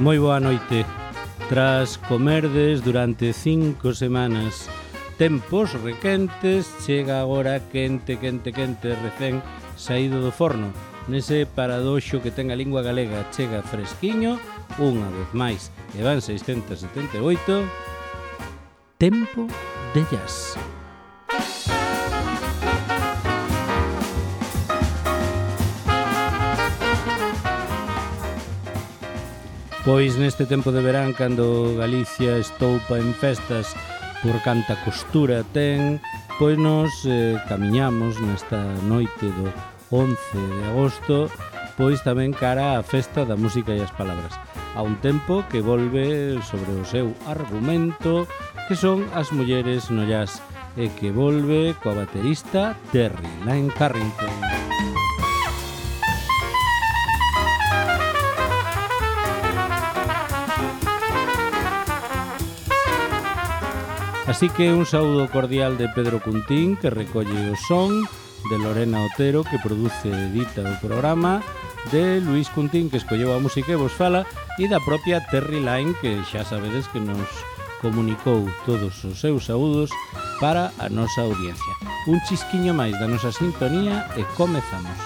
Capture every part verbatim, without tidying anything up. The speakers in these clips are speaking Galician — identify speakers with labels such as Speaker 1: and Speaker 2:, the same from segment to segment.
Speaker 1: Moi boa noite. Tras comerdes durante cinco semanas tempos requentes, chega agora quente, quente, quente, recén saído do forno. Nese paradoxo que ten a lingua galega, chega fresquiño, unha vez máis, e van seiscentos setenta e oito, Tempo de Jazz. Pois neste tempo de verán, cando Galicia estoupa en festas por canta costura ten, pois nos eh, camiñamos nesta noite do once de agosto, pois tamén cara á festa da música e as palabras, a un tempo que volve sobre o seu argumento, que son as mulleres no jazz, e que volve coa baterista Terry Lyne Carrington. Así que un saúdo cordial de Pedro Cuntín, que recolle o son, de Lorena Otero, que produce e edita o programa, de Luís Cuntín, que escolleu a música e vos fala, e da propia Terry Lyne, que xa sabedes que nos comunicou todos os seus saúdos para a nosa audiencia. Un chisquiño máis da nosa sintonía e comezamos.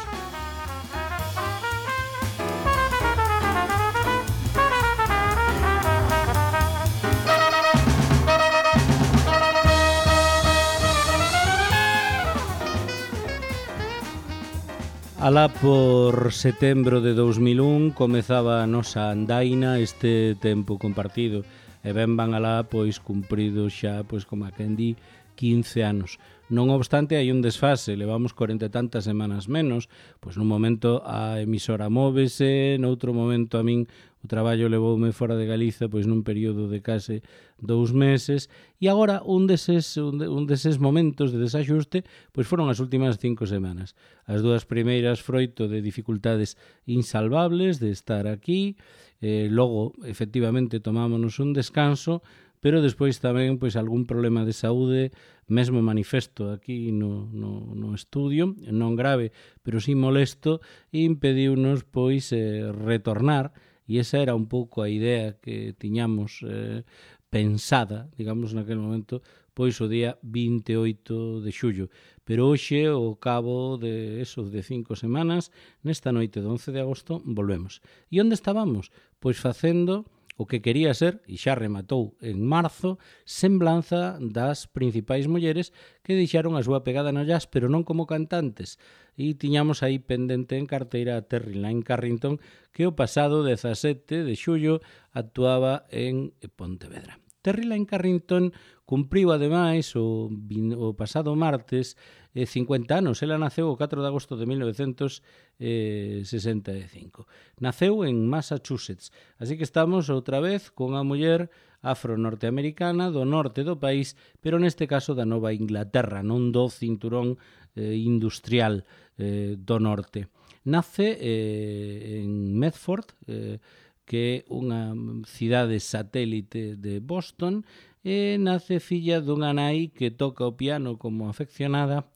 Speaker 1: Alá por setembro de dous mil un comezaba a nosa andaina, este tempo compartido, e ben van alá pois cumprido xa, pois como a quen di, quince anos. Non obstante, hai un desfase, levamos corenta e tantas semanas menos, pois nun momento a emisora móvese, noutro momento a min o traballo levoume fora de Galiza, pois nun período de case dous meses, e agora un deses, un, de, un deses momentos de desaxuste, pois foron as últimas cinco semanas. As dúas primeiras froito de dificultades insalvables de estar aquí, eh, logo, efectivamente, tomámonos un descanso, pero despois tamén pois algún problema de saúde, mesmo manifesto aquí no, no, no estudio, non grave, pero sí molesto, e impediunos pois eh, retornar, e esa era un pouco a idea que tiñamos eh, pensada, digamos, naquele momento, pois o día vinte e oito de xullo. Pero hoxe, ao cabo de eso, de cinco semanas, nesta noite do once de agosto, volvemos. E onde estábamos? Pois facendo o que quería ser, e xa rematou en marzo, semblanza das principais mulleres que deixaron a súa pegada no jazz, pero non como cantantes. E tiñamos aí pendente en carteira a Terry Lyne Carrington, que o pasado dezasete de xullo actuaba en Pontevedra. Terry Lyne Carrington cumpriu ademais o, o pasado martes eh, cincuenta anos. Ela naceu o catro de agosto de mil novecentos sesenta e cinco. Naceu en Massachusetts, así que estamos outra vez con a muller afro-norteamericana do norte do país, pero neste caso da Nova Inglaterra, non do cinturón eh, industrial eh, do norte. Nace eh, en Medford, eh, que é unha cidade satélite de Boston, e nace filla dunha nai que toca o piano como afeccionada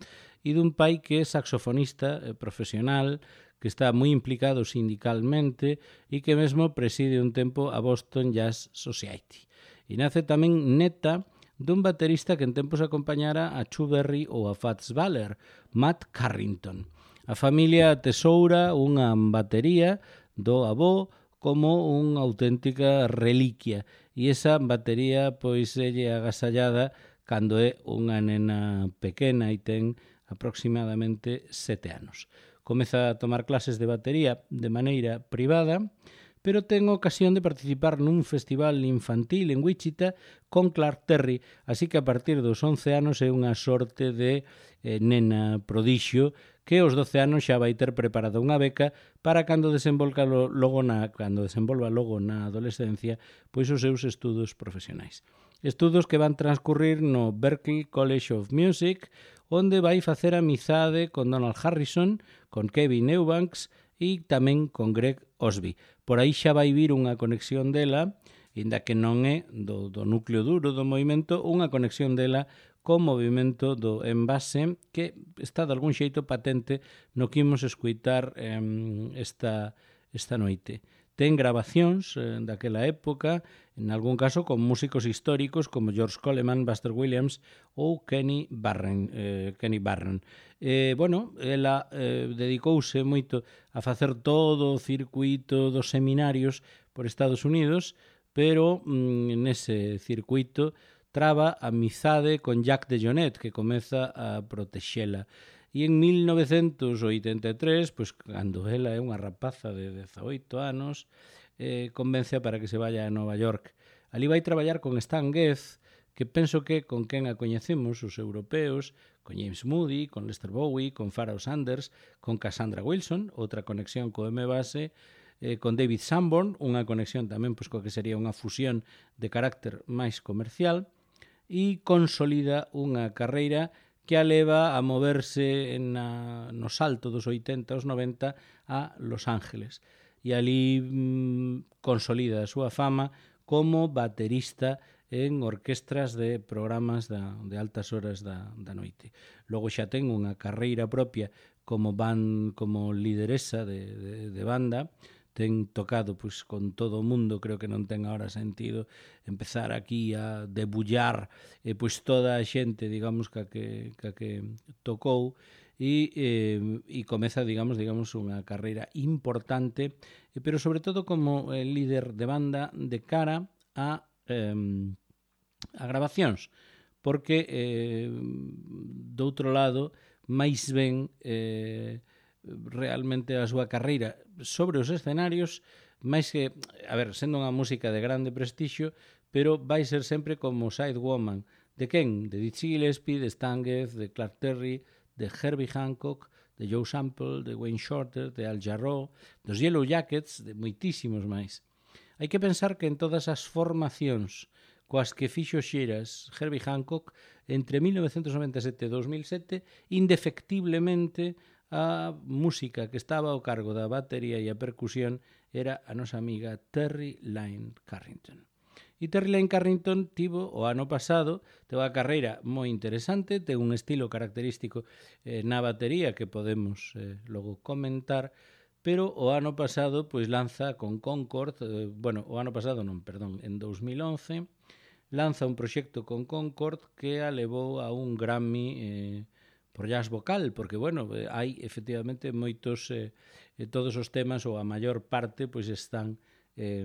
Speaker 1: e dun pai que é saxofonista eh, profesional, que está moi implicado sindicalmente e que mesmo preside un tempo a Boston Jazz Society. E nace tamén neta dun baterista que en tempos acompañara a Chu Berry ou a Fats Waller, Matt Carrington. A familia atesoura unha batería do avó como unha auténtica reliquia, e esa batería pois é agasallada cando é unha nena pequena e ten aproximadamente sete anos. Comeza a tomar clases de batería de maneira privada, pero ten ocasión de participar nun festival infantil en Wichita con Clark Terry, así que a partir dos once anos é unha sorte de eh, nena prodixio que aos doce anos xa vai ter preparada unha beca para cando desenvolva logo na, cando desenvolva logo na adolescencia pois os seus estudos profesionais. Estudos que van transcurrir no Berklee College of Music, onde vai facer amizade con Donald Harrison, con Kevin Eubanks e tamén con Greg Osby. Por aí xa vai vir unha conexión dela, inda que non é do, do núcleo duro do movimento, unha conexión dela co movimento do envase que está de algún xeito patente no que imos escuitar eh, esta, esta noite. ten grabacións eh, daquela época, en algún caso con músicos históricos como George Coleman, Buster Williams ou Kenny Barron. Eh, Kenny Barron. Eh, bueno, ela eh, dedicouse moito a facer todo o circuito dos seminarios por Estados Unidos, pero mm, nese circuito traba a amizade con Jack DeJohnette, que comeza a protexela. E en mil novecentos oitenta e tres, pois, cando ela é unha rapaza de dezaoito anos, eh, convence para que se vaya a Nova York. Ali vai traballar con Stan Getz, que penso que con quen a coñecemos os europeos, con James Moody, con Lester Bowie, con Pharoah Sanders, con Cassandra Wilson, outra conexión co M-Base, eh, con David Sanborn, unha conexión tamén pois, coa que sería unha fusión de carácter máis comercial, e consolida unha carreira que a leva a moverse na, no salto dos oitenta aos noventa a Los Ángeles. E ali mmm, consolida a súa fama como baterista en orquestras de programas da, de altas horas da, da noite. Logo xa ten unha carreira propia como, ban, como lideresa de, de, de banda, ten tocado pois, con todo o mundo, creo que non ten agora sentido empezar aquí a debullar eh, pois toda a xente, digamos, que, que, que, que tocou e, eh, e comeza, digamos, digamos unha carreira importante, eh, pero sobre todo como eh, líder de banda de cara a, eh, a grabacións, porque eh, do outro lado, máis ben eh, realmente a súa carreira sobre os escenarios, máis que, a ver, sendo unha música de grande prestixio, pero vai ser sempre como sidewoman. De quen? De Dizzy Gillespie, de Stan Getz, de Clark Terry, de Herbie Hancock, de Joe Sample, de Wayne Shorter, de Al Jarreau, dos Yellow Jackets, de moitísimos máis. Hai que pensar que en todas as formacións coas que fixo xiras Herbie Hancock entre mil novecentos noventa e sete e dos mil sete, indefectiblemente a música que estaba ao cargo da batería e a percusión era a nosa amiga Terri Lyne Carrington. E Terri Lyne Carrington tivo o ano pasado, teve a carreira moi interesante, ten un estilo característico eh, na batería que podemos eh, logo comentar, pero o ano pasado pois lanza con Concord, eh, bueno, o ano pasado non, perdón, en dos mil once, lanza un proxecto con Concord que a levou a un Grammy eh, por jazz vocal, porque, bueno, hai efectivamente moitos, eh, todos os temas, ou a maior parte, pois están, eh,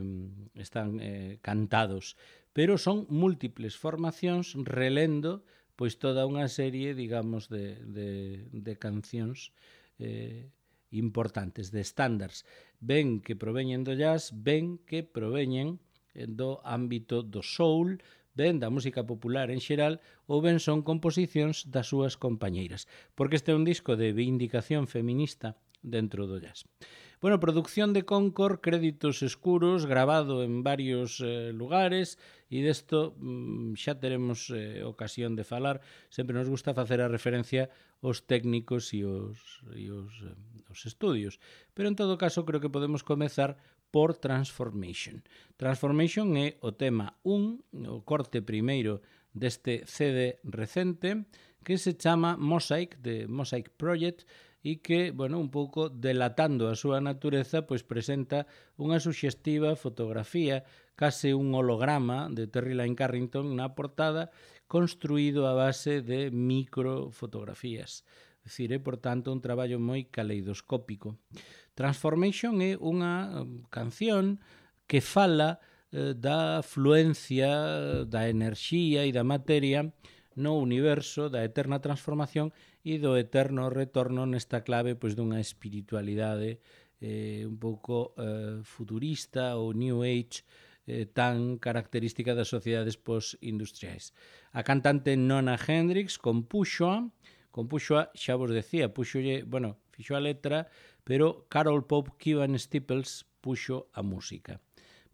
Speaker 1: están eh, cantados. Pero son múltiples formacións relendo pois toda unha serie, digamos, de, de, de cancións eh, importantes, de estándares, ben que proveñen do jazz, ben que proveñen do ámbito do soul, ben da música popular en xeral, ou ben son composicións das súas compañeiras, porque este é un disco de vindicación feminista dentro do jazz. Bueno, producción de Concord, créditos escuros, grabado en varios eh, lugares, e desto mm, xa teremos eh, ocasión de falar. Sempre nos gusta facer a referencia aos técnicos e os, e os, eh, os estudios, pero en todo caso creo que podemos comezar por Transformation. Transformation é o tema un, o corte primeiro deste C D recente, que se chama Mosaic, de Mosaic Project, e que, bueno, un pouco delatando a súa natureza, pois presenta unha suxestiva fotografía, case un holograma de Terri Lyne Carrington na portada, construído a base de microfotografías. É dicir, é, por tanto, un traballo moi caleidoscópico. Transformation é unha canción que fala eh, da fluencia, da enerxía e da materia no universo, da eterna transformación e do eterno retorno nesta clave pois dunha espiritualidade eh, un pouco eh, futurista ou New Age eh, tan característica das sociedades post-industriais. A cantante Nona Hendrix compúxoa, compúxoa, xa vos decía, puxolle, bueno, fixo a letra, pero Carol Pope Kivan Staples puxo a música.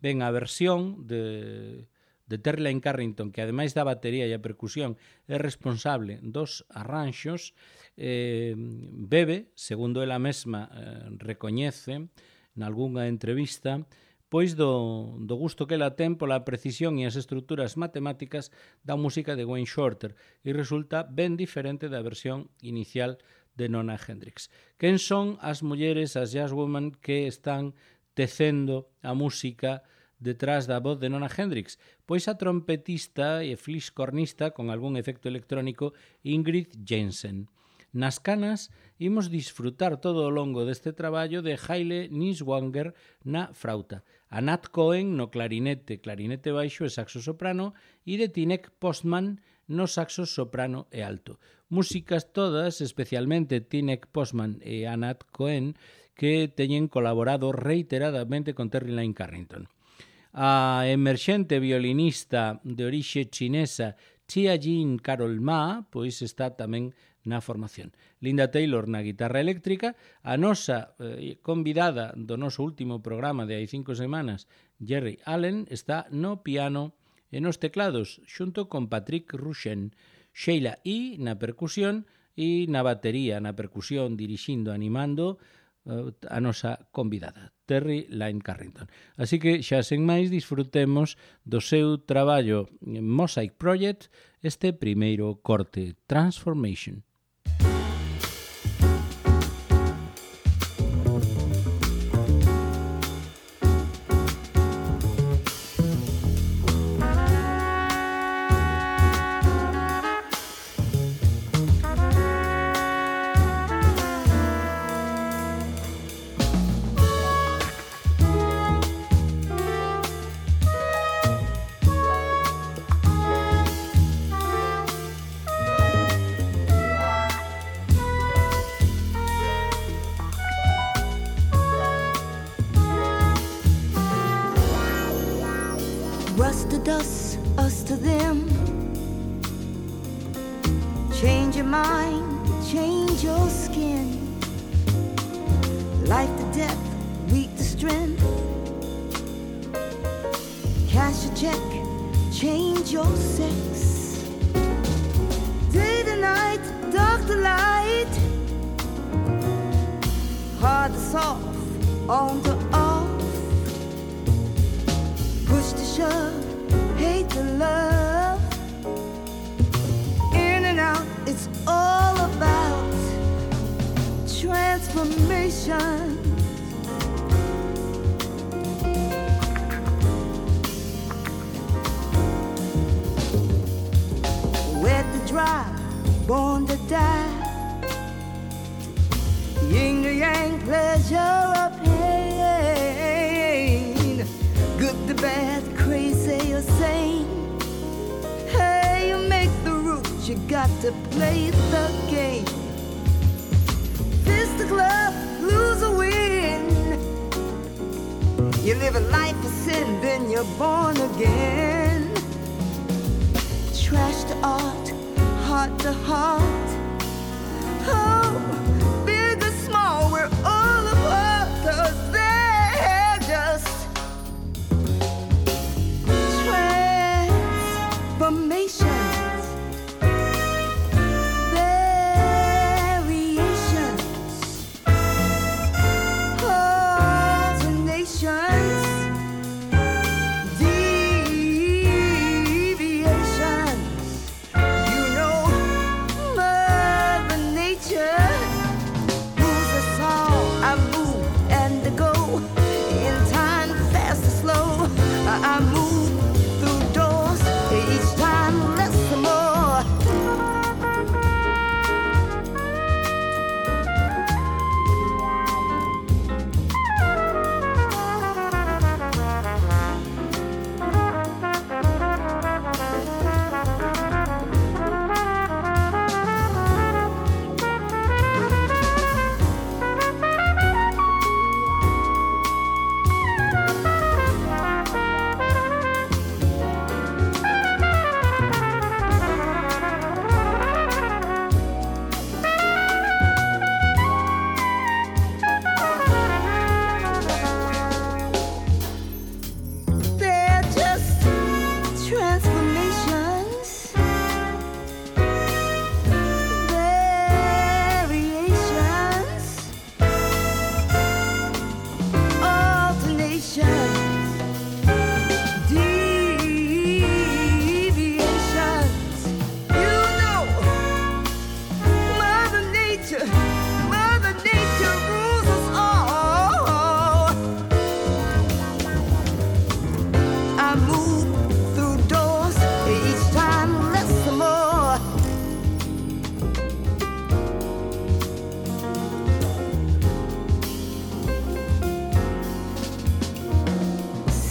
Speaker 1: Ben, a versión de... de Terri Lyne Carrington, que ademais da batería e a percusión é responsable dos arranxos, eh, bebe, segundo ela mesma eh, recoñece nalgúnha entrevista, pois do, do gusto que ela ten pola precisión e as estruturas matemáticas da música de Wayne Shorter, e resulta ben diferente da versión inicial de Nona Hendrix. Quen son as mulleres, as jazzwomen, que están tecendo a música detrás da voz de Nona Hendrix, pois a trompetista e fliscornista con algún efecto electrónico Ingrid Jensen. Nas canas, imos disfrutar todo o longo deste traballo de Haile Niswanger na frauta, a Nat Cohen no clarinete, clarinete baixo e saxo soprano e de Tinek Postman no saxo soprano e alto. Músicas todas, especialmente Tinek Postman e a Nat Cohen, que teñen colaborado reiteradamente con Terry Lyne Carrington. A emerxente violinista de orixe chinesa Chia Jean Carol Ma, pois está tamén na formación. Linda Taylor na guitarra eléctrica, a nosa eh, convidada do noso último programa de hai cinco semanas, Jerry Allen, está no piano e nos teclados, xunto con Patrick Rushen, Sheila E. na percusión e na batería, na percusión, dirixindo, animando uh, a nosa convidada, Terry Lyne Carrington. Así que xa sen máis disfrutemos do seu traballo Mosaic Project, este primeiro corte, Transformation.
Speaker 2: Deviations, you know, Mother Nature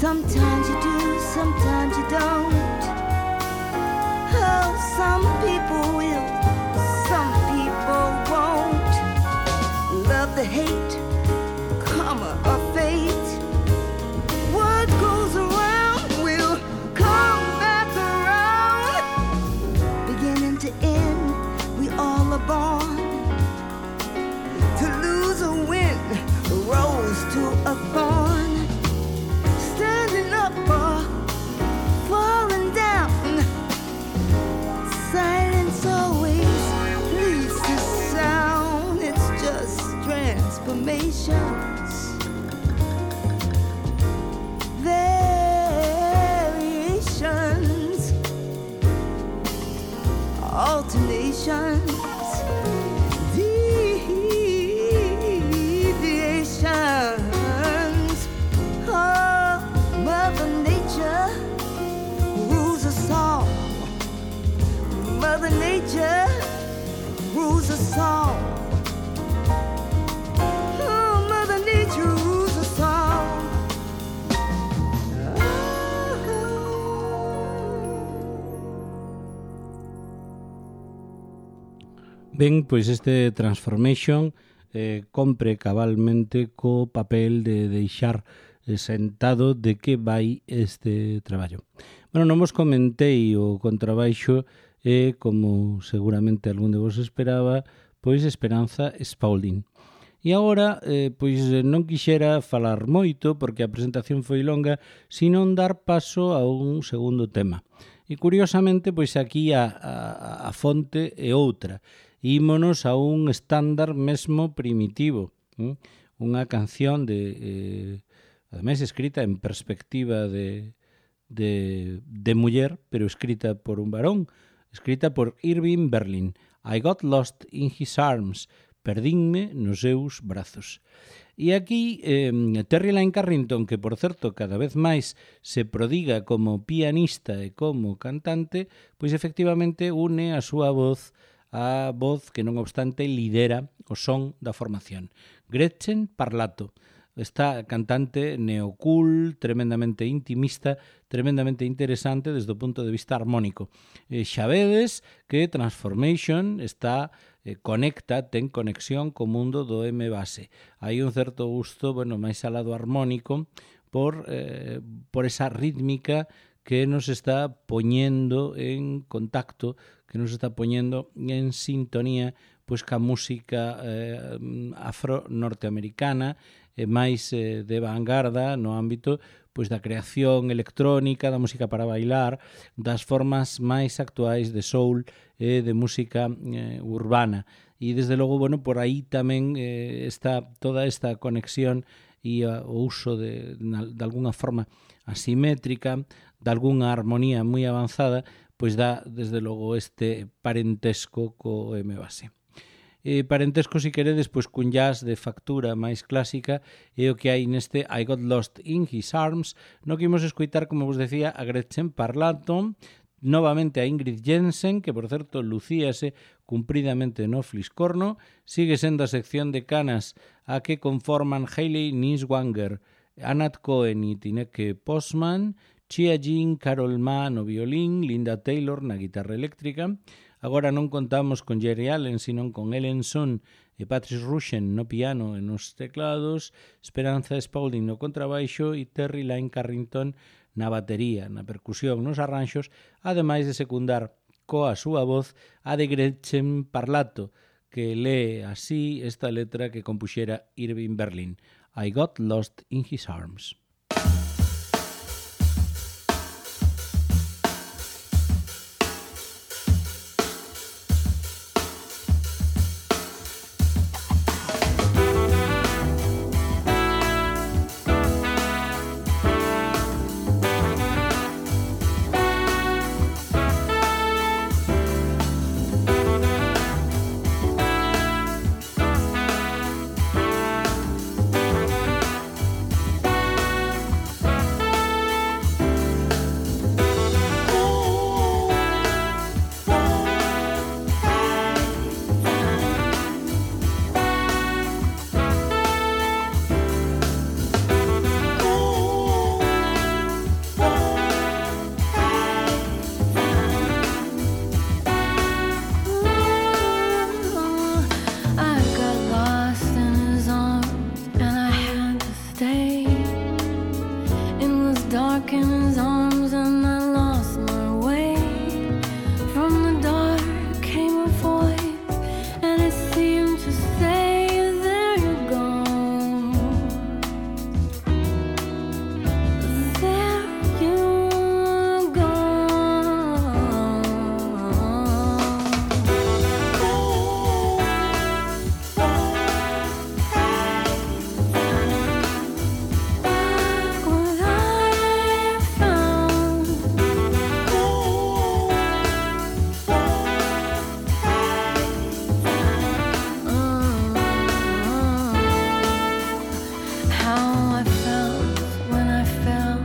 Speaker 2: Sometimes you do, sometimes you don't. Oh, some people will, some people won't. Love the hate, karma or fate. What goes around will come back around. Beginning to end, we all are born. To lose or win, a rose to a thorn. Standing up or falling down. Silence always leads to sound. It's just transformations, variations, alternations, deviations. Oh, Mother Nature rules us all. Mother Nature rules us all. Oh, Mother Nature rules us all.
Speaker 1: Ben, pois este Transformation eh, compre cabalmente co papel de deixar eh, sentado de que vai este traballo. Bueno, non vos comentei o contrabaixo e, como seguramente algún de vos esperaba, pois Esperanza Spaulding. E agora, eh, pois non quixera falar moito, porque a presentación foi longa, sino dar paso a un segundo tema. E curiosamente, pois aquí a, a, a fonte é outra. Ímonos a un estándar mesmo primitivo, ¿eh? Unha canción de, eh, ademais escrita en perspectiva de, de, de muller, pero escrita por un varón, escrita por Irving Berlin. I got lost in his arms, perdínme nos seus brazos. E aquí eh, Terry Lyne Carrington, que por certo cada vez máis se prodiga como pianista e como cantante, pois efectivamente une a súa voz a voz que non obstante lidera o son da formación. Gretchen Parlato, esta cantante neocool, tremendamente intimista, tremendamente interesante desde o punto de vista armónico. Eh, xa vedes que Transformation está eh, conecta, ten conexión co mundo do M-base. Hai un certo gusto, bueno, máis al lado armónico por, eh, por esa rítmica que nos está poñendo en contacto, que nos está poñendo en sintonía pois ca música eh, afro-norteamericana e máis eh, de vanguarda no ámbito pois da creación electrónica, da música para bailar, das formas máis actuais de soul e de música eh, urbana. E desde logo, bueno, por aí tamén eh, está toda esta conexión e uh, o uso de, de alguna forma asimétrica, de algunha armonía moi avanzada, pois dá, desde logo, este parentesco co M-base. E parentesco, si queredes, pois cun jazz de factura máis clásica é o que hai neste I Got Lost in His Arms, no que imos escoitar, como vos decía, a Gretchen Parlato, novamente a Ingrid Jensen, que por certo lucíase cumpridamente no Fliscorno, sigue sendo a sección de canas a que conforman Hayley Niswanger, Anat Cohen e Tineke Postman, Chia Jean, Carol Ma no violín, Linda Taylor na guitarra eléctrica. Agora non contamos con Jerry Allen, sino con Ellen Son e Patrice Rushen no piano e nos teclados, Esperanza Spaulding no contrabaixo e Terry Lyne Carrington na batería, na percusión, nos arranxos, ademais de secundar coa súa voz a de Gretchen Parlato, que lee así esta letra que compuxera Irving Berlin. I got lost in his arms.
Speaker 3: dark in his arms and I lost my way. From the dark came a voice and it seemed to say, there you go, there you go. What I found, how I felt when I fell,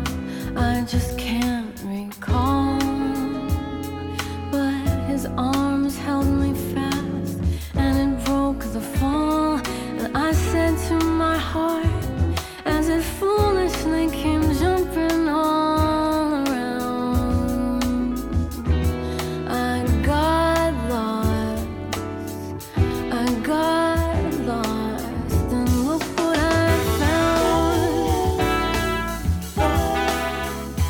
Speaker 3: I just can't recall. But his arms held me fast and it broke the fall. And I said to my heart, as it foolishly came jumping all around, I got lost, I got lost, and look what I found. Look what I found.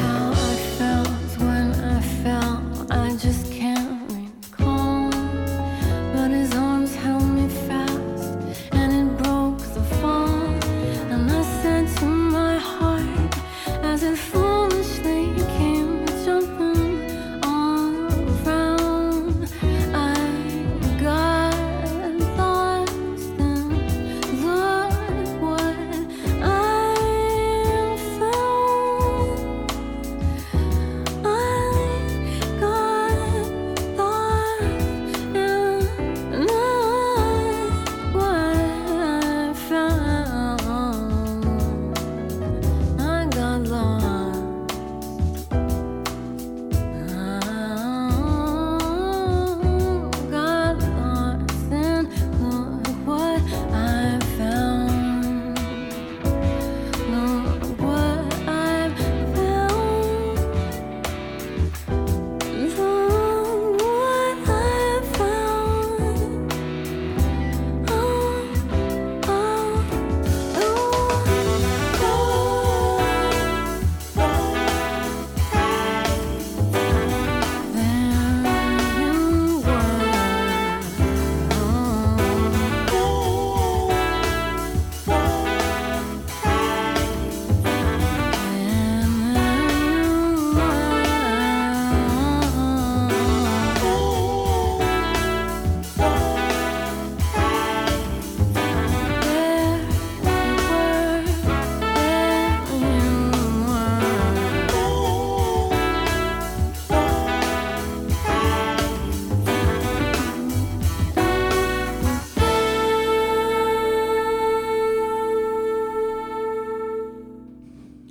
Speaker 3: How I felt when I fell, I just can't recall. But his arms held me fast and it broke the fall. And I said to my heart, as it foolishly came jumping all around, I got lost and look what I found. I got lost and look what I found. I got lost. I got lost and look what I found. Look what I've found. Look what I've found. Oh, oh, oh,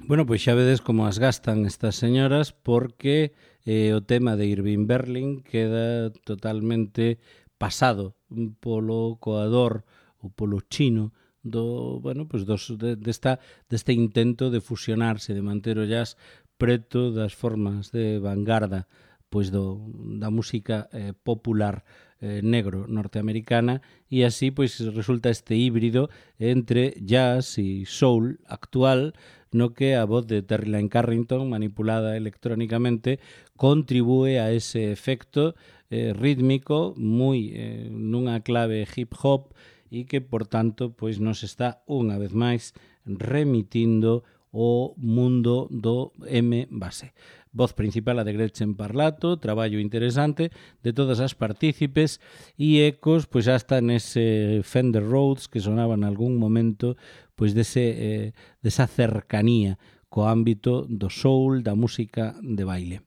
Speaker 1: Bueno, pois xa vedes como as gastan estas señoras porque eh, o tema de Irving Berlin queda totalmente pasado polo coador ou polo chino do, bueno, pois dos, de, desta, deste intento de fusionarse, de manter o jazz preto das formas de vanguarda pois do, da música eh, popular eh, negro norteamericana, e así pois resulta este híbrido entre jazz e soul actual, no que a voz de Terry Lyne Carrington, manipulada electrónicamente, contribúe a ese efecto eh, rítmico moi eh, nunha clave hip hop e que, por tanto, pois nos está unha vez máis remitindo o mundo do M-base. Voz principal a de Gretchen Parlato, traballo interesante de todas as partícipes e ecos pois hasta nese Fender Rhodes que sonaba en algún momento pois dese, eh, desa cercanía co ámbito do soul, da música de baile.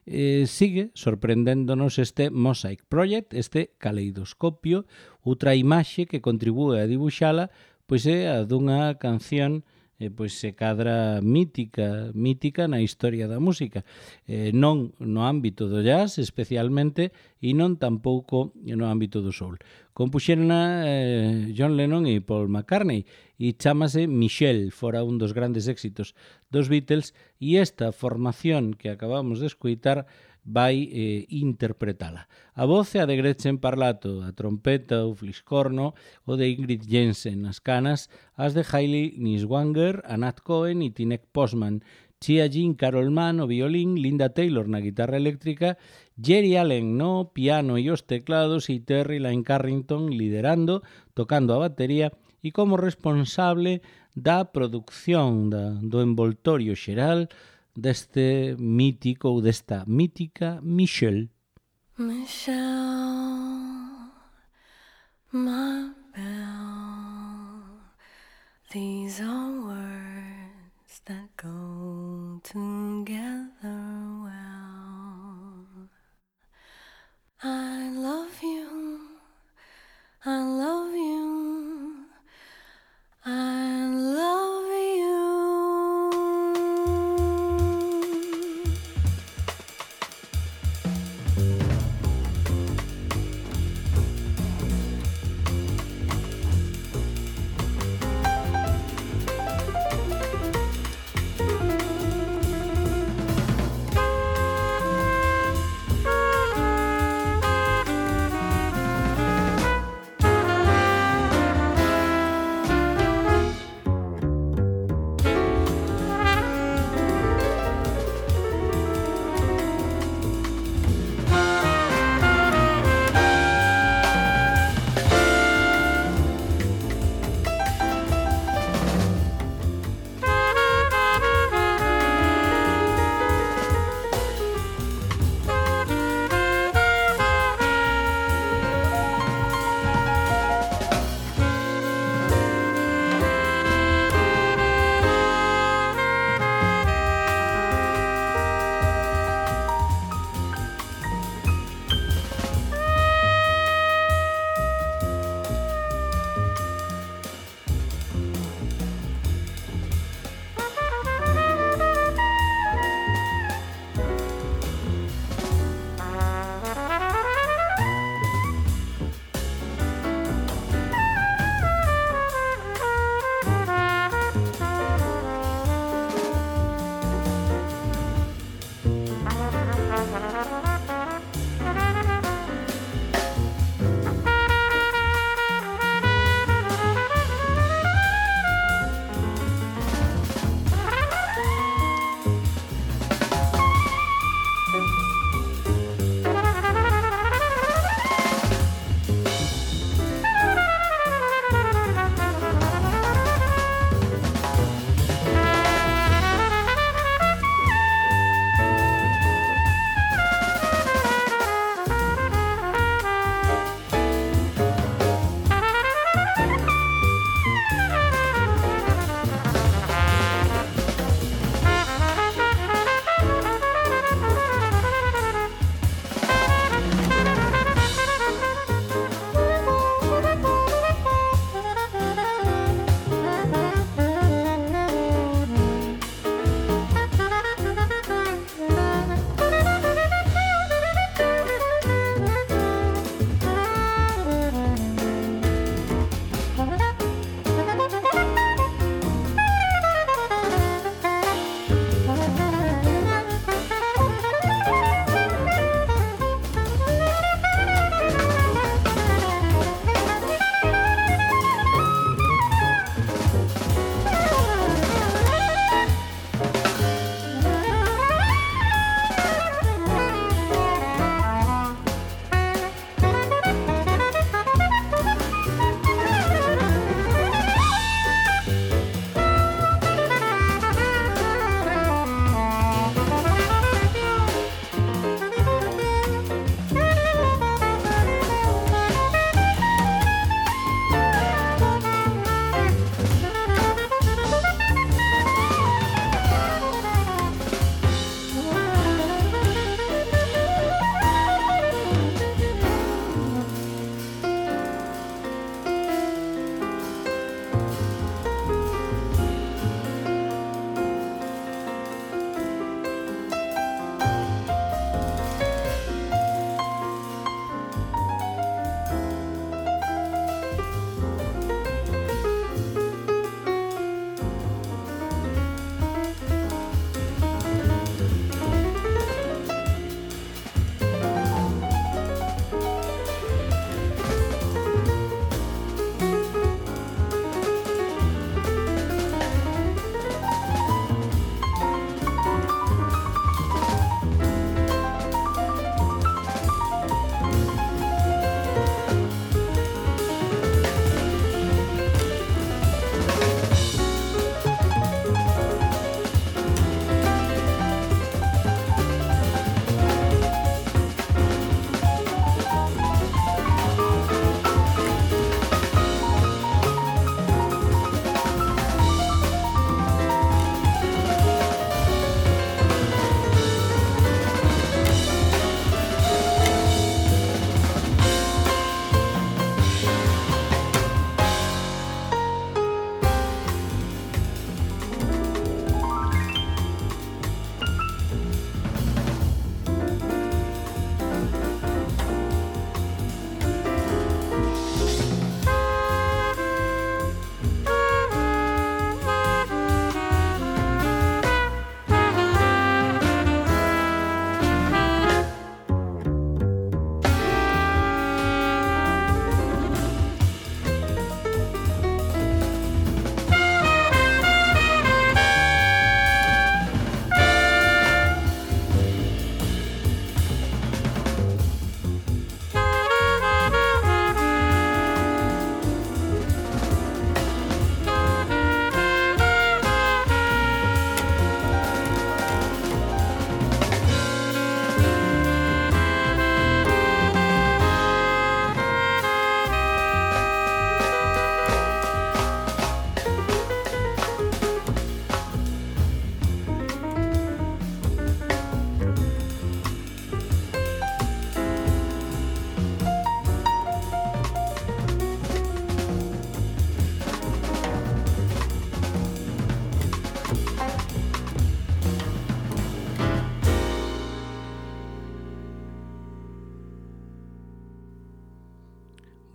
Speaker 1: Eh, sigue sorprendéndonos este Mosaic Project, este caleidoscopio, outra imaxe que contribúe a dibuxala, pois é a dunha canción eh, pois se cadra mítica, mítica na historia da música, eh, non no ámbito do jazz especialmente e non tampouco no ámbito do soul. Compuxerna eh, John Lennon e Paul McCartney e chámase Michelle, fora un dos grandes éxitos dos Beatles, e esta formación que acabamos de escuitar vai eh, interpretala. A voz é a de Gretchen Parlato, a trompeta, o fliscorno, o de Ingrid Jensen, as canas, as de Hayley Niswanger, a Nat Cohen e Tinek Postman, Chia Jean Carol Mann, o violín, Linda Taylor na guitarra eléctrica, Jerry Allen no piano e os teclados e Terry Lyne Carrington liderando, tocando a batería e como responsable da produción da, do envoltorio xeral deste mítico ou desta mítica Michelle.
Speaker 3: Michelle, my belle, these are words that go together well. I love you, I love you, I love you.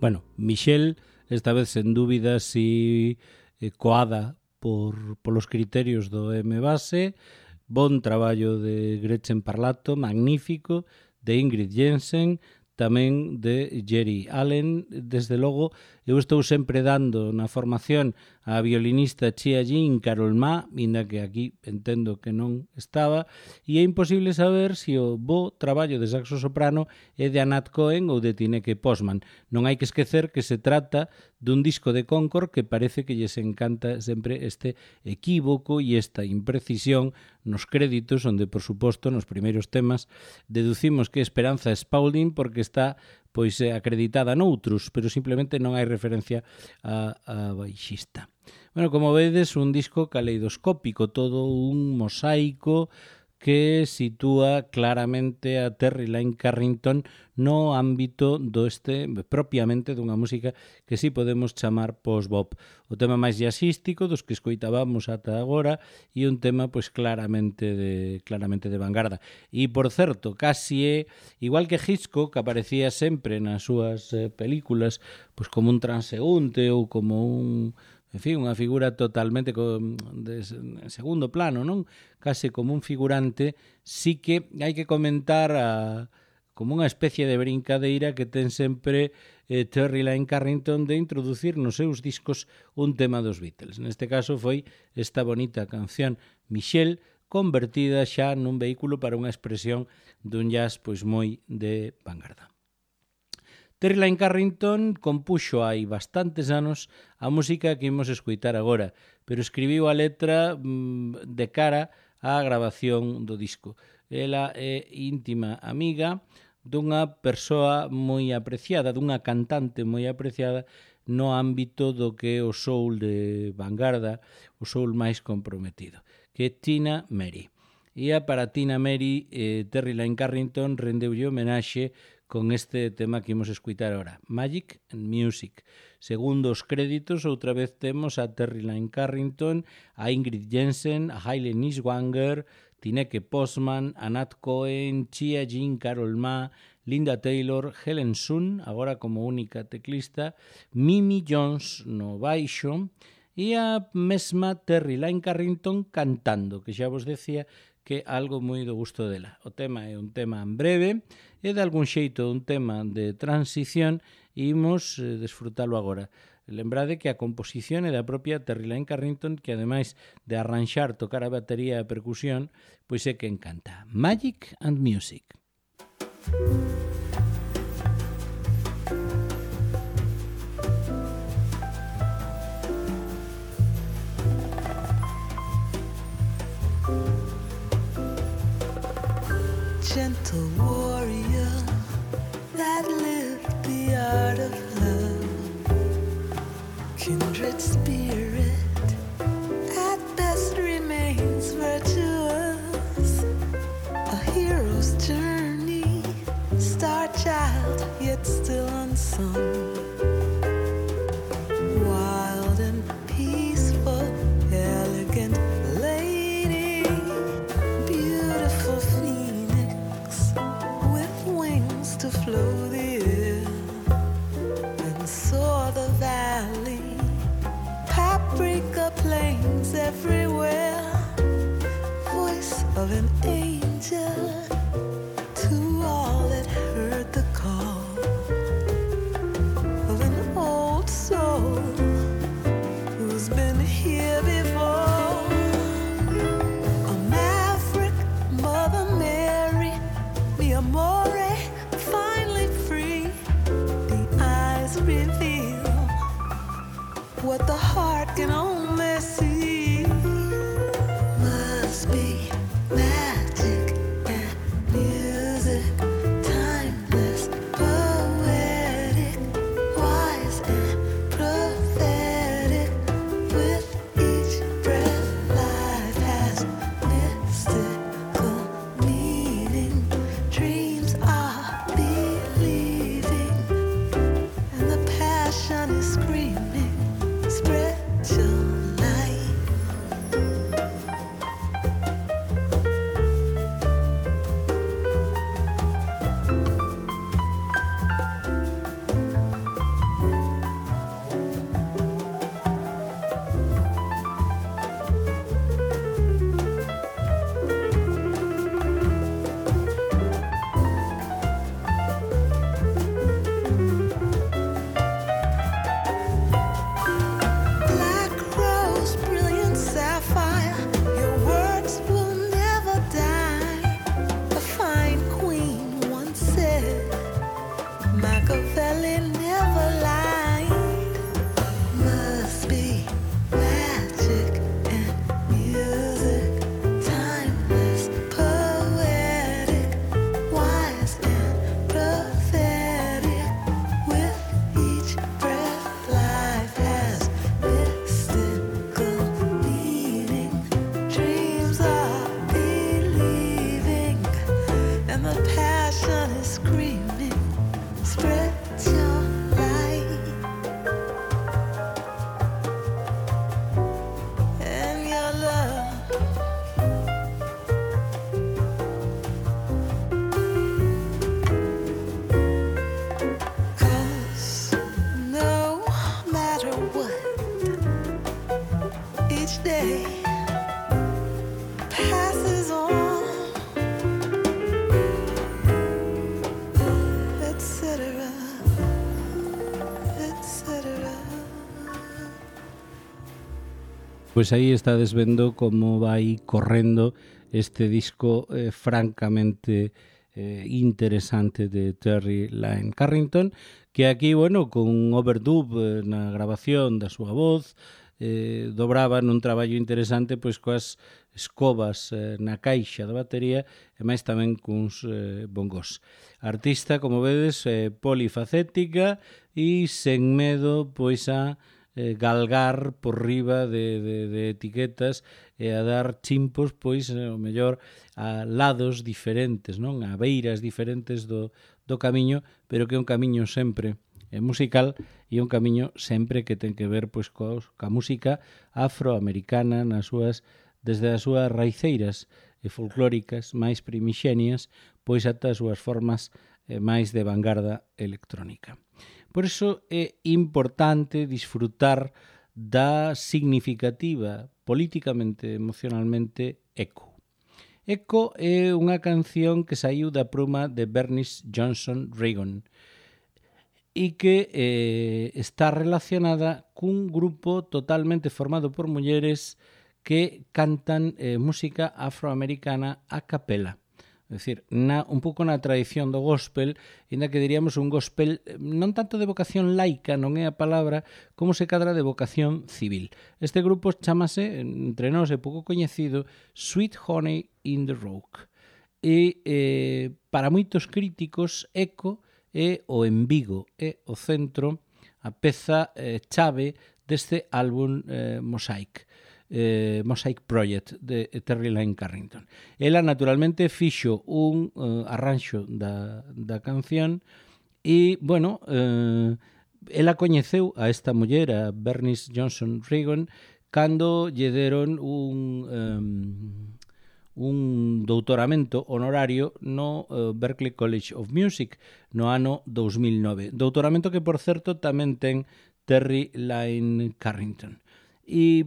Speaker 1: Bueno, Michelle, esta vez sen dúbida, si eh, coada por polos criterios do M-Base, bon traballo de Gretchen Parlato, magnífico, de Ingrid Jensen, tamén de Jerry Allen. Desde logo, eu estou sempre dando na formación a violinista Chia Jin Carol Ma, inda que aquí entendo que non estaba, e é imposible saber se o bo traballo de saxo soprano é de Anat Cohen ou de Tineke Postman. Non hai que esquecer que se trata dun disco de Concord que parece que lles encanta sempre este equívoco e esta imprecisión nos créditos, onde, por suposto, nos primeiros temas deducimos que Esperanza Spaulding porque está pois acreditada noutros, pero simplemente non hai referencia a, a baixista. Bueno, como vedes, un disco caleidoscópico, todo un mosaico que sitúa claramente a Terry Lyne Carrington no ámbito do este propiamente dunha música que si podemos chamar post-bop. O tema máis jazzístico dos que escoitábamos ata agora e un tema pois claramente de claramente de vanguarda. E por certo, casi é igual que Hitchcock, que aparecía sempre nas súas eh, películas pois como un transeúnte ou como un en fin, unha figura totalmente con, de, en segundo plano, non? Case como un figurante, sí que hai que comentar a, como unha especie de brincadeira que ten sempre eh, Terry Lyne Carrington de introducir nos seus discos un tema dos Beatles. Neste caso foi esta bonita canción Michelle, convertida xa nun vehículo para unha expresión dun jazz pois moi de vanguarda. Terry Lyne Carrington compuxo hai bastantes anos a música que imos escoitar agora, pero escribiu a letra mmm, de cara á grabación do disco. Ela é íntima amiga dunha persoa moi apreciada, dunha cantante moi apreciada no ámbito do que é o soul de vanguarda, o soul máis comprometido, que é Tina Mary. E a para Tina Mary, eh, Terry Lyne Carrington rendeulle homenaxe con este tema que imos escutar ahora, Magic and Music. Segundo os créditos, outra vez temos a Terry Lyne Carrington, a Ingrid Jensen, a Hayley Niswanger, Tineke Postman, a Nat Cohen, Chia Jin, Carol Ma, Linda Taylor, Helen Sun, agora como única teclista, Mimi Jones no baixo, e a mesma Terry Lyne Carrington cantando, que xa vos decía que é algo moi do gusto dela. O tema é un tema en breve, e de algún xeito un tema de transición, e imos eh, desfrutalo agora. Lembrade que a composición é da propia Terry Lyne Carrington, que ademais de arranxar, tocar a batería e a percusión, pois é que encanta. Magic and Music.
Speaker 2: Gentle warrior that lived the art of love, kindred spirit at best remains virtuous, a hero's journey, star child yet still unsung, wild and peaceful, elegant lady, beautiful phoenix with wings to flow the air and soar the valley, paprika plains everywhere, voice of an angel to all that heard the call of an old soul who's been here before, a maverick, Mother Mary, mi amore, finally free. The eyes reveal what the heart can only see. Must be magic and music, timeless, poetic, wise and prophetic. With each breath, life has mystical meaning. Dreams are believing, and the passion is screaming. Spread your light. Machiavelli never lied. Must be magic and music, timeless, poetic, wise and prophetic. With each breath, life has mystical meaning. Dreams are believing, and the passion is screaming. Spread your light and your love. Cause no matter what, each day passes on, et cetera, et cetera.
Speaker 1: Pois aí estades vendo como vai correndo este disco eh, francamente eh, interesante de Terry Lyne Carrington, que aquí, bueno, con un overdub eh, na grabación da súa voz, eh, dobraba nun traballo interesante pois coas escobas eh, na caixa da batería e máis tamén cuns eh, bongos. Artista, como vedes, eh, polifacética e sen medo pois a eh, galgar por riba de, de, de etiquetas e a dar chimpos, pois, eh, o mellor, a lados diferentes, non? A beiras diferentes do, do camiño, pero que é un camiño sempre eh, musical e un camiño sempre que ten que ver pois coa, coa música afroamericana nas súas, desde as súas raiceiras e folclóricas máis primixenias, pois ata as súas formas eh, máis de vanguarda electrónica. Por iso é importante disfrutar da significativa políticamente, emocionalmente, Echo. Echo é unha canción que saiu da pluma de Bernice Johnson Reagon e que eh, está relacionada cun grupo totalmente formado por mulleres que cantan eh, música afroamericana a capela. É dicir, na, un pouco na tradición do gospel, ainda que diríamos un gospel non tanto de vocación laica, non é a palabra, como se cadra de vocación civil. Este grupo chamase, entre nós é pouco coñecido, Sweet Honey in the Rock. E eh, para moitos críticos, Echo é o embigo, é o centro, a peza eh, chave deste álbum eh, Mosaic. Eh, Mosaic Project de Terry Lyne Carrington. Ela naturalmente fixo un uh, arranxo da, da canción e, bueno, eh, ela coñeceu a esta muller, a Bernice Johnson Reagon, cando lle deron un um, un doutoramento honorario no uh, Berklee College of Music no ano dous mil nove. Doutoramento que, por certo, tamén ten Terry Lyne Carrington. E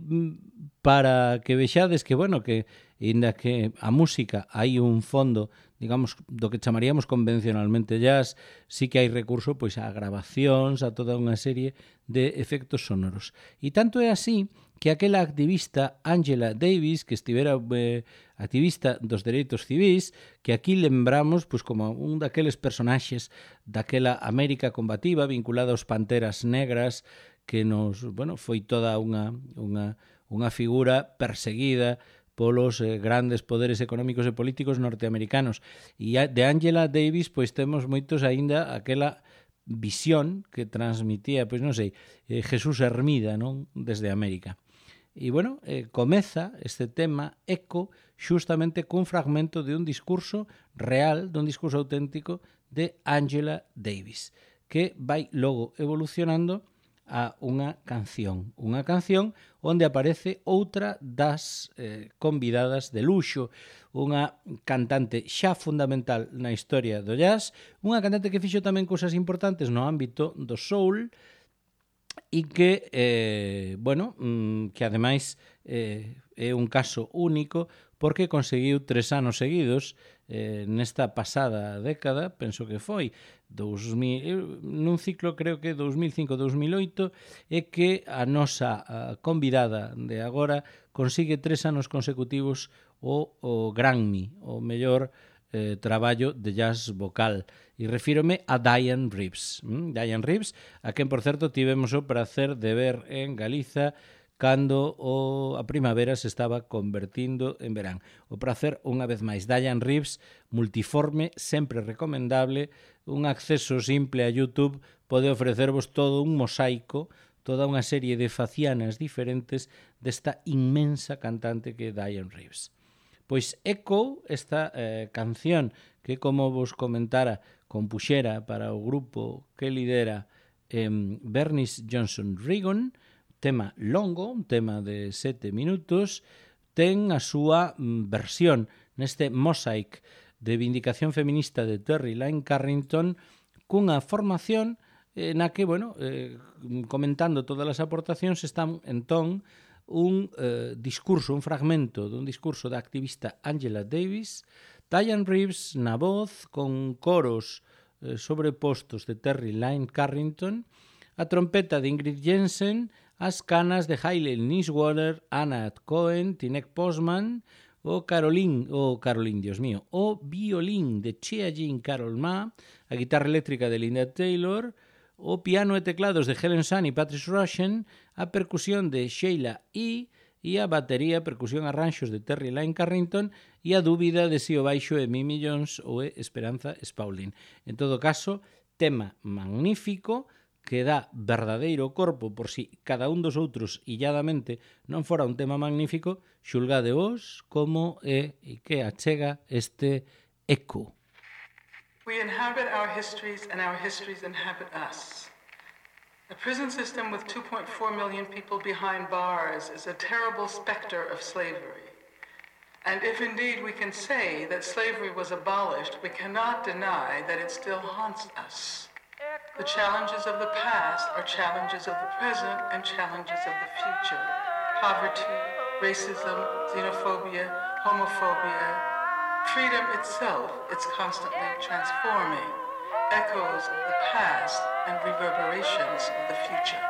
Speaker 1: para que vexades que, bueno, que inda que a música hai un fondo, digamos, do que chamaríamos convencionalmente jazz, sí que hai recurso pois a grabacións, a toda unha serie de efectos sonoros. E tanto é así que aquela activista Angela Davis, que estivera eh, activista dos dereitos civis, que aquí lembramos pois como un daqueles personaxes daquela América combativa vinculada aos Panteras Negras, que nos, bueno, foi toda unha, unha, unha figura perseguida polos eh, grandes poderes económicos e políticos norteamericanos. E de Angela Davis, pois temos moitos aínda aquela visión que transmitía, pois non sei, eh, Jesús Hermida, non? Desde América. E, bueno, eh, comeza este tema Echo xustamente cun fragmento de un discurso real, de un discurso auténtico de Angela Davis, que vai logo evolucionando a unha canción, unha canción onde aparece outra das eh, convidadas de luxo, unha cantante xa fundamental na historia do jazz, unha cantante que fixo tamén cousas importantes no ámbito do soul e que, eh, bueno, que ademais eh, é un caso único porque conseguiu tres anos seguidos eh, nesta pasada década, penso que foi dos mil, nun ciclo creo que dos mil cinco a dos mil oito, é que a nosa a convidada de agora consigue tres anos consecutivos o, o Grammy, o mellor eh, traballo de jazz vocal. E refírome a Diane Reeves. Mm? Diane Reeves, a quen, por certo, tivemos o prazer de ver en Galiza cando o, a primavera se estaba convertindo en verán. O prazer, unha vez máis. Diane Reeves, multiforme, sempre recomendable, un acceso simple a YouTube pode ofrecervos todo un mosaico, toda unha serie de facianas diferentes desta inmensa cantante que é Diane Reeves. Pois Echo, esta eh, canción que, como vos comentara, compuxera para o grupo que lidera eh, Bernice Johnson Reagon, tema longo, un tema de sete minutos, ten a súa mm, versión neste mosaic de vindicación feminista de Terry Lyne Carrington cunha formación eh, na que, bueno, eh, comentando todas as aportacións están entón un eh, discurso, un fragmento dun discurso da activista Angela Davis, Diane Reeves na voz con coros eh, sobrepostos de Terry Lyne Carrington, a trompeta de Ingrid Jensen, as canas de Hayley Niswater, Anna Cohen, Tinek Postman, o Caroline, o Caroline, Dios mío, o violín de Chea Jean Carol Ma, a guitarra eléctrica de Linda Taylor, o piano e teclados de Helen Sun e Patrice Rushen, a percusión de Sheila E. e a batería, percusión e arranxos de Terry Lyne Carrington e a dúbida de si o baixo é Mimi Jones ou é Esperanza Spaulding. En todo caso, tema magnífico que dá verdadeiro corpo por si cada un dos outros illadamente non fora un tema magnífico, xulgade vos como é e que achega este Echo.
Speaker 4: We inhabit our histories, and our histories inhabit us. A prison system with two point four million people behind bars is a terrible specter of slavery. And if indeed we can say that slavery was abolished, we cannot deny that it still haunts us. The challenges of the past are challenges of the present and challenges of the future. Poverty, racism, xenophobia, homophobia, freedom itself, it's constantly transforming, echoes of the past and reverberations of the future.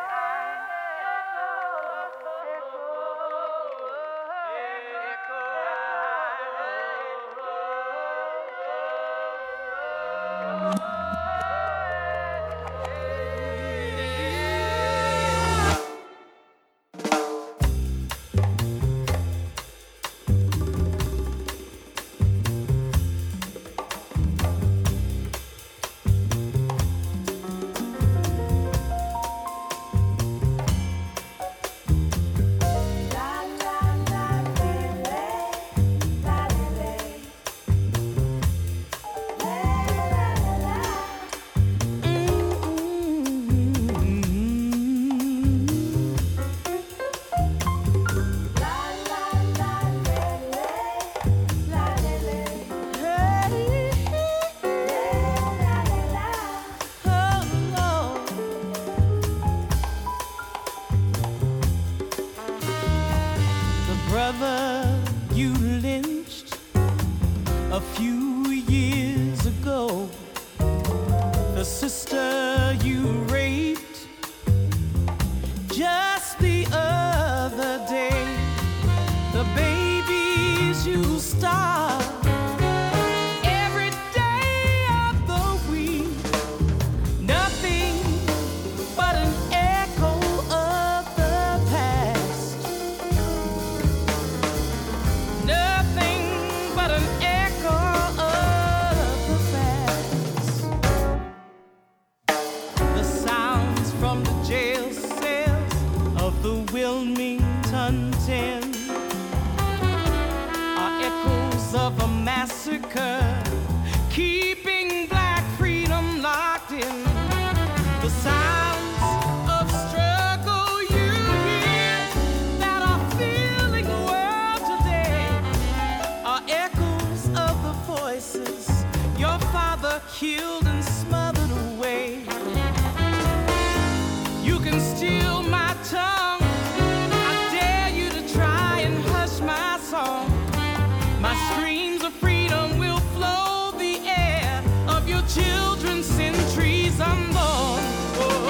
Speaker 5: Children, centuries unborn. Oh.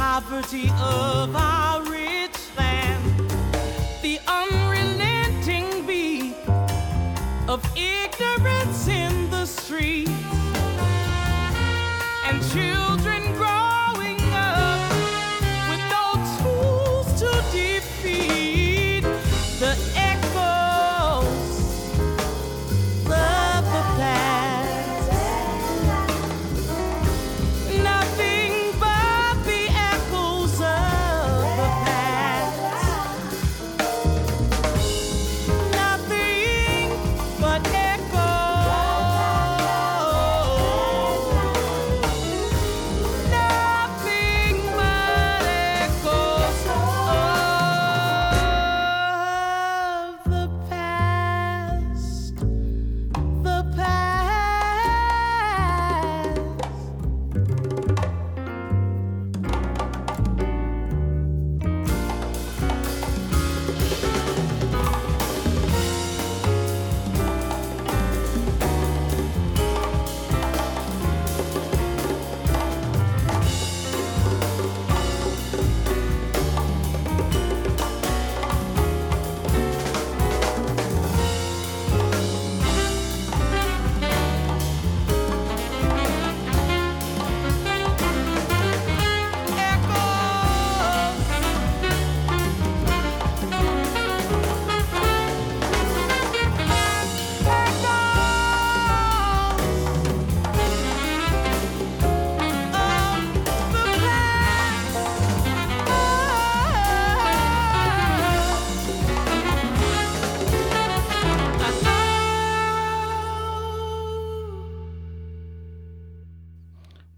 Speaker 5: poverty of our rich land, the unrelenting beat of ignorance in the streets, and children growing up with no tools to defeat the echoes of the past. Nothing but the echoes of the past. Nothing but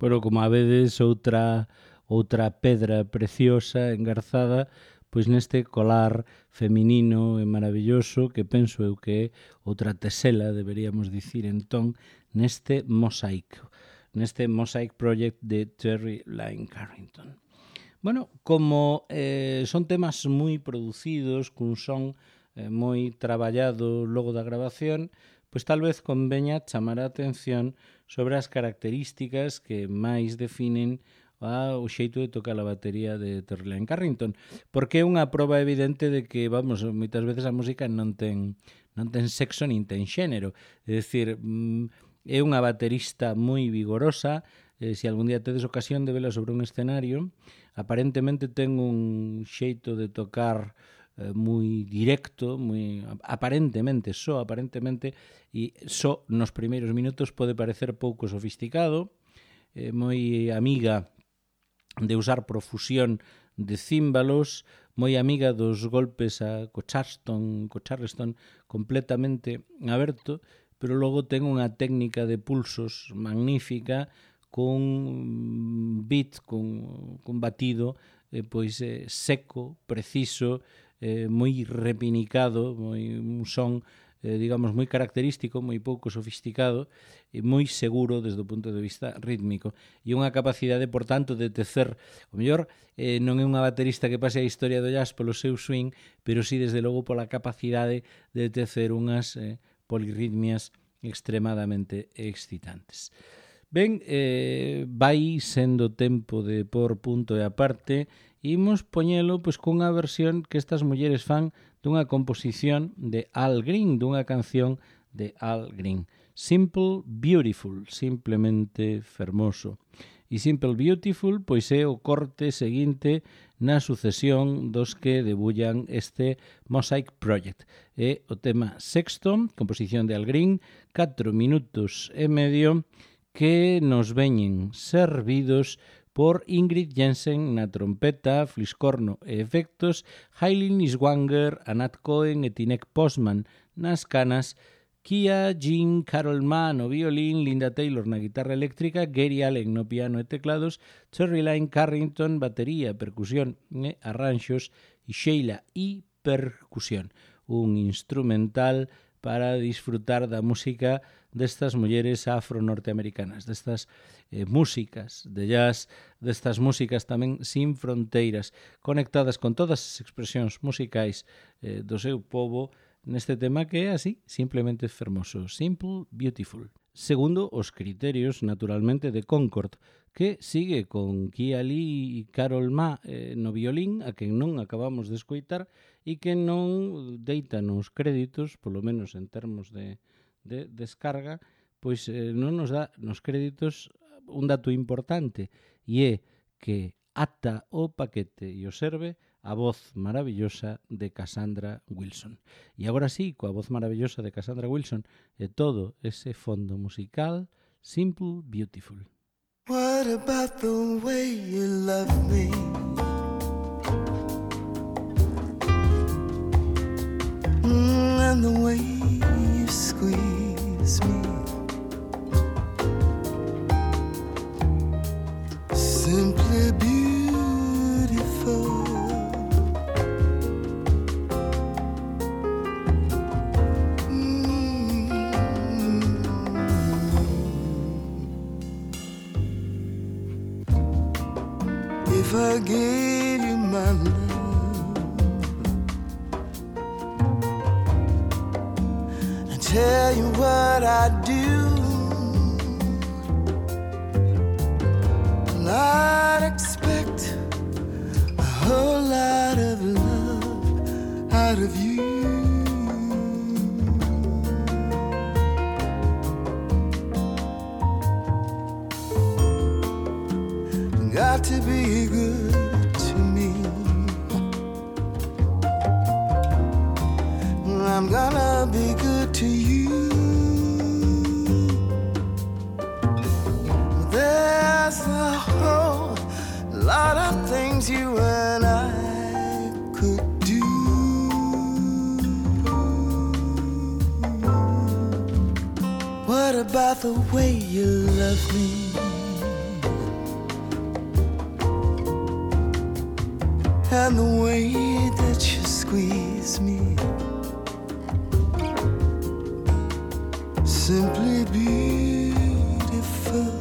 Speaker 1: Bueno, como a vedes, outra outra pedra preciosa, engarzada, pois neste colar feminino e maravilloso que penso eu que é outra tesela, deberíamos dicir entón, neste mosaico, neste Mosaic Project de Terry Lyne Carrington. Bueno, como eh, son temas moi producidos, cun son eh, moi traballado logo da grabación, pois tal vez conveña chamar a atención sobre as características que máis definen a, o xeito de tocar a batería de Terry Lyne Carrington, porque é unha proba evidente de que, vamos, moitas veces a música non ten non ten sexo nin ten xénero, é dicir, é unha baterista moi vigorosa, eh, se algún día tedes ocasión de vela sobre un escenario, aparentemente ten un xeito de tocar eh, moi directo, moi aparentemente, só aparentemente, e só nos primeiros minutos pode parecer pouco sofisticado, eh, moi amiga de usar profusión de címbalos, moi amiga dos golpes a co Charleston, co Charleston completamente aberto, pero logo ten unha técnica de pulsos magnífica, con beat, con, con batido, eh, pois eh, seco, preciso, eh, moi repinicado, moi un son, eh, digamos, moi característico, moi pouco sofisticado e moi seguro desde o punto de vista rítmico. E unha capacidade, por tanto, de tecer, o mellor, eh, non é unha baterista que pase a historia do jazz polo seu swing, pero sí, desde logo, pola capacidade de tecer unhas eh, polirritmias extremadamente excitantes. Ben, eh, vai sendo tempo de por punto e aparte, e imos poñelo pois, cunha versión que estas mulleres fan dunha composición de Al Green, dunha canción de Al Green. Simple Beautiful, simplemente fermoso. E Simple Beautiful pois é o corte seguinte na sucesión dos que debullan este Mosaic Project. É o tema sexto, composición de Al Green, catro minutos e medio, que nos veñen servidos por Ingrid Jensen na trompeta, fliscorno e efectos, Hailey Niswanger, Anat Cohen e Tinek Postman nas canas, Kia Jean Carol Mann no violín, Linda Taylor na guitarra eléctrica, Gary Allen no piano e teclados, Terry Lyne Carrington, batería, percusión e arranxos, e Sheila e percusión. Un instrumental para disfrutar da música destas mulleres afro-norteamericanas, destas eh, músicas de jazz, destas músicas tamén sin fronteiras, conectadas con todas as expresións musicais eh, do seu povo, neste tema que é así, simplemente fermoso, Simple Beautiful. Segundo os criterios, naturalmente, de Concord, que sigue con Kia Lee e Carol Ma eh, no violín, a quen non acabamos de escoitar, e que non deita nos créditos, polo menos en termos de, de descarga, pois eh, non nos dá nos créditos un dato importante, e é que ata o paquete e o serve a voz maravillosa de Cassandra Wilson. E agora sí, coa voz maravillosa de Cassandra Wilson e todo ese fondo musical, Simple Beautiful.
Speaker 2: What about the way you love me? Mm, and the way you squeeze me. Simply beautiful. If I gave you my love and tell you what I do, and I'd expect a whole lot of love out of you. Got to be good to me. I'm gonna be good to you. There's a whole lot of things you and I could do. What about the way you love me? And the way that you squeeze me, simply beautiful.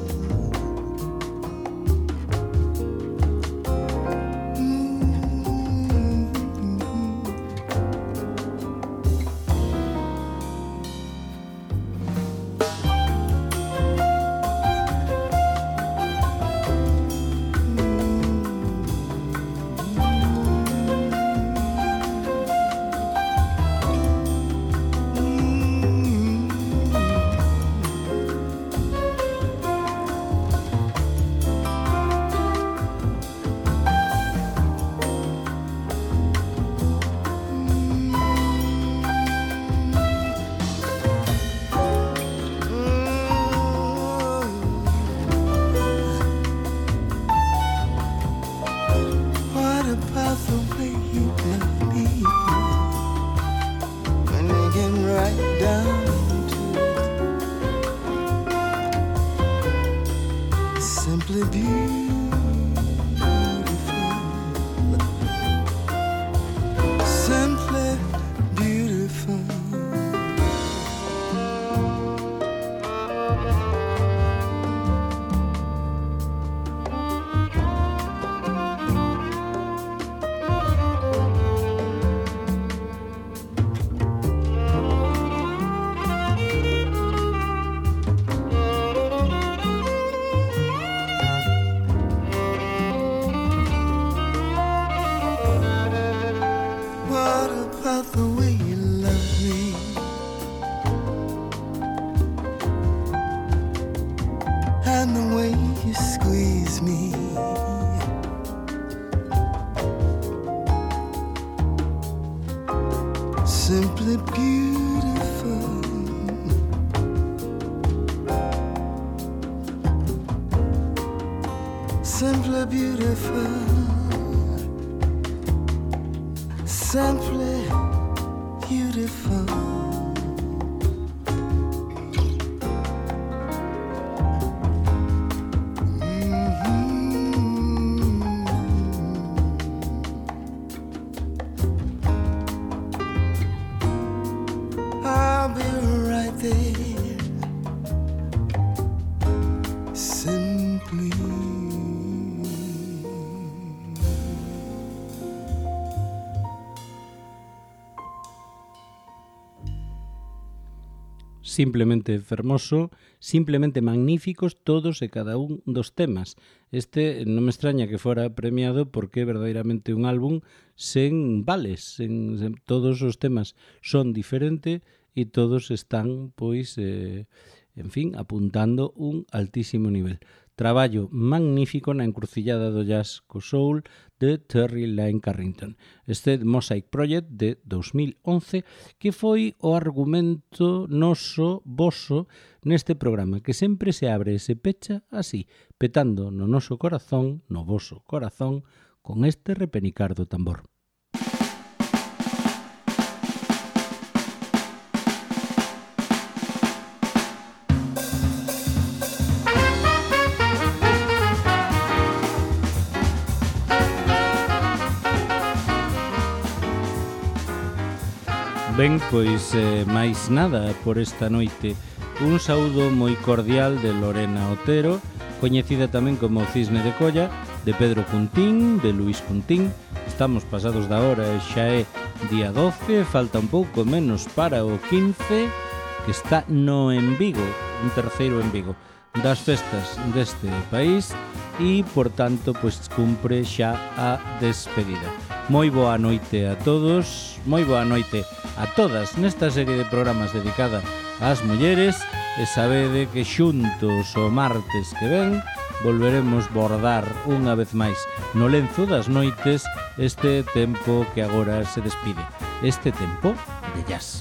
Speaker 2: Simply beautiful, simply beautiful. And the way you squeeze me, simply beautiful. Simply beautiful. Simply beautiful.
Speaker 1: simplemente fermoso, simplemente magníficos todos e cada un dos temas. Este non me extraña que fora premiado porque é verdadeiramente un álbum sen vales, sen, sen, todos os temas son diferentes e todos están, pois, eh, en fin, apuntando un altísimo nivel. Traballo magnífico na encrucillada do jazz co soul de Terry Lyne Carrington. Este Mosaic Project de dos mil once que foi o argumento noso, voso, neste programa, que sempre se abre e se pecha así, petando no noso corazón, no voso corazón, con este repenicar do tambor. Ben, pois eh, máis nada por esta noite. Un saúdo moi cordial de Lorena Otero, coñecida tamén como Cisne de Colla, de Pedro Cuntín, de Luís Cuntín. Estamos pasados da hora e xa é día doce, falta un pouco menos para o quince, que está no En Vigo, un terceiro En Vigo, das festas deste país e, por tanto, pois cumpre xa a despedida. Moi boa noite a todos, moi boa noite a todas nesta serie de programas dedicada ás mulleres e sabede que xuntos o martes que ven volveremos bordar unha vez máis no lenzo das noites este tempo que agora se despide, este tempo de jazz.